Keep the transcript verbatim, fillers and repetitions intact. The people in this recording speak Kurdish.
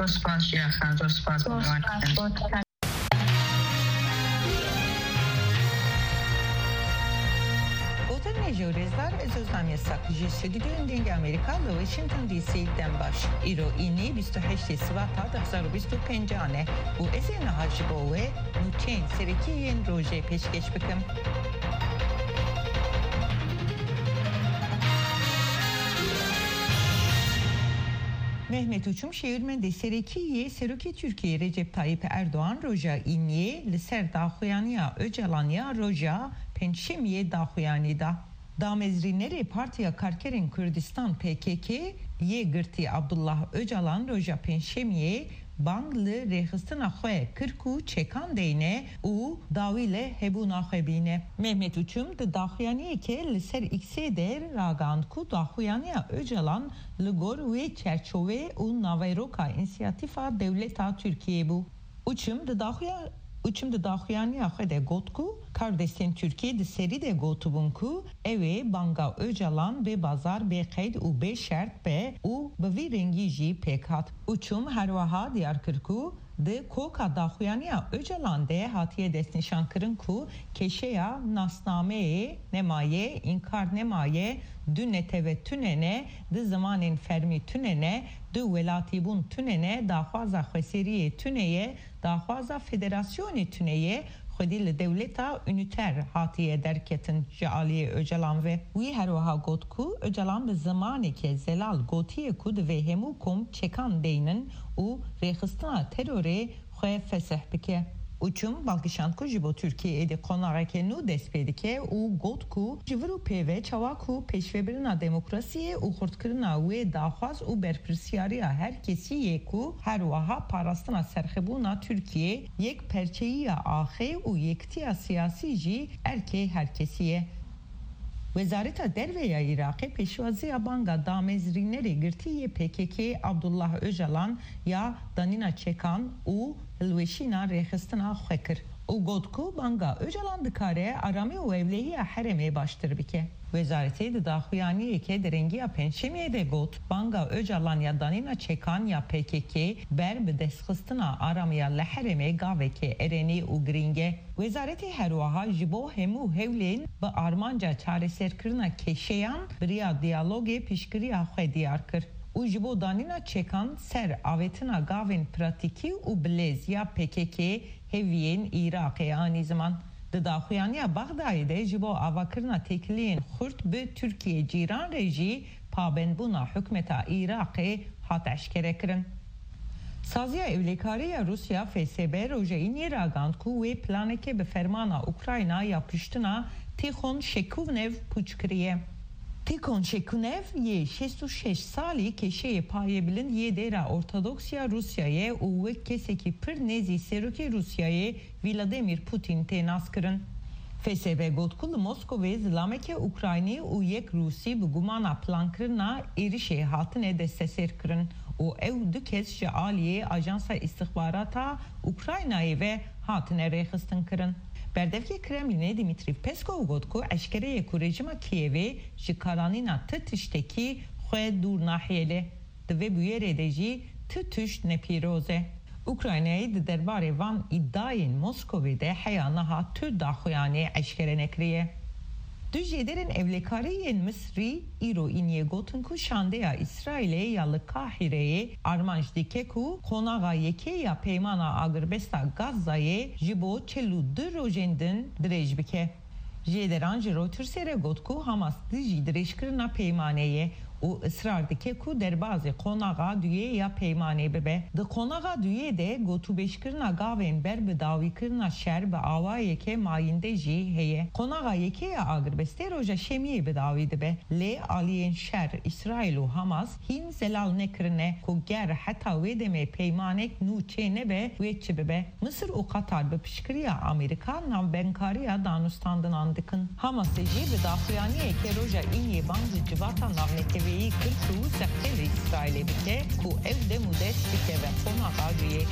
Zor spas Jiya Xan, zor spas. Zor spas bo te. Gotin ne jewrêzdar, ez Ozan Yasak ji stüdyoyên Dengê Amerîka li Washington D C dem baş. Îro înî bîst û heştê Sibata du hezar û bîst û pênc e û ez ê niha ji bo we nûçeyên serekî yên rojê pêşkêş bikim. Mehmet Uçum, şêwirmendê serekî yê Serokê Tirkiyê Recep Tayyip Erdogan roja Îniyê li ser daxuyaniya Ocalan ya roja Pêncşemiyê daxuyanî da. Damezrînerê Partiya Karkerên Kurdistan, P K K, yê girtî Abdullah Ocalan roja Pêncşemiyê bang li rêxistina xwe kir ku çekan deyne û dawî li hebûna xwe bîne. Mehmet Uçum di daxuyaniyeke li ser X'ê de ragihand ku daxuyaniya Ocalan li gor wê çerçove û naveroka însiyatîfa dewleta Tirkiyê bû. Uçum di daxuya-, Uçum di daxuyaniya xwe de got ku kardestên Tirkiyê di serî de gotibûn ku ew ê banga Ocalan bê bazar, bê qeyd û bê şert be û bi vî rengî jî pêk hat. Uçum her wiha diyar kir ku di koka daxuyaniya Ocalan de hatiye destnîşankirin ku kêşeya nasnameyê nemaye, înkar nemaye, du netewe tune ne, du zimanên fermî tune ne, du welatîbûn tune ne, daxwaza xweseriyê tune ye, daxwaza federasyonê tune ye, xwedî li dewleta unîter hatiye derketin ji aliyê Ocalan ve. Wî her wiha got ku Ocalan bi zimaneke zelal gotiye ku divê hemû kom çekan deynin û rêxistina terorê xwe fesih bike. Uçum bal kişand ku ji bo Tirkiyê êdî qonaxeke nû dest pê dike û got ku ji vir û pê ve çawa ku pêşvebirina demokrasiyê û xurtkirina wê daxwaz û berpirsiyariya her kesî yê ku her wiha parastina serxwebûna Tirkiyê, yekperçeyiya axê û yekitiya siyasî jî erkê her kesî ye. Wezareta Derve ya Iraqê pêşwaziya banga damezrînerê girtî yê P K K Abdullah Ocalan ya danîna çekan û hilweşîna rêxistina xwe kir û got ku banga Ocalan dikare aramî û ewlehiya herêmê baştir bike. Wezaretê di daxuyaniyeke derengiya Pêncşemiyê de got, banga Ocalan ya danîna çekan ya P K K ber bi destxistina aramiya li herêmê gaveke erênî û girîng e. Wezaretê her wiha ji bo hemû hewlên bi armanca çareserkirina kêşeyan bi riya diyalogê piştgiriya xwe diyar kir û ji bo danîna çekan ser avêtina gavên pratîkî û bilez ya P K K hêviyên Iraqê anî ziman. Di daxuyaniya Bexdayê de ji bo avakirina têkiliyên xurt bi Tirkiye cîran re jî pabendbûna hikûmeta Iraqê hat eşkerekirin. Saziya Ewlekarî ya Rûsya, F S B, roja Îniyê ragihand ku wê planeke bi fermana Ukrayna ya kuştina Tîxon Şekûnev pûç kiriye. Tîxon Şekûnev yê şêst û şeş salî kêşeyê payebilind yê dêra ortodoks ya Rûsyayê û wek kesekî pir nêzî serokê Rûsyayê Vladimir Putin tê naskirin. F S B got ku li Moskovê zilameke Ukraynî û yek Rûsî bi gumana plankirina êrişê hatine desteserkirin û ew du kes ji aliyê Ajansa Îstixbarata Ukraynayê ve hatine rêxistinkirin. Berdevkê Kremlînê Dimitrî Peskov got ku eşkere ye ku rejîma Kîevê ji karanîna ti tiştekî xwe dûr nahêle. Di vê bûyerê de jî tu tişt ne pîroz e. Ukraynayê di derbarê van îdiayên Moskovê de heya niha tu daxuyanî eşkere nekiriye. Du jêderên ewlekarî yên Misrî îro îniyê gotin ku şandeya Îsraîlê ya li Qahîreyê armanc dike ku qonaxa yekê ya Peymana Agirbesta Gazayê ji bo çil û du rojên din dirêj bike. Jêderan ji Reutersê re got ku Hamas dijî dirêjkirina peymanê ye û israr dike ku derbazî qonaxa duyê ya peymanê bibe. Di qonaxa duyê de gotûbêjkirina gavên ber bi dawîkirina şer bi awayeke mayînde jî heye. Qonaxa yekê ya agirbestê roja Şemiyê bi dawî dibe. Lê aliyên şer, Îsraîl û Hamas hîn zelal nekirine ku ger heta wê demê peymanek nû çênebe, wê çi bibe? Misir û Qatar bi piştgiriya Amerîka navbenkariya danûstandinan dikin. Hamasê jî bi daxuyaniyeke roja Îniyê bang ji civata navneteweyî kir ku seqtê li Îsraîlê bike ku ew dem û dest bikeve qonaxa duyê.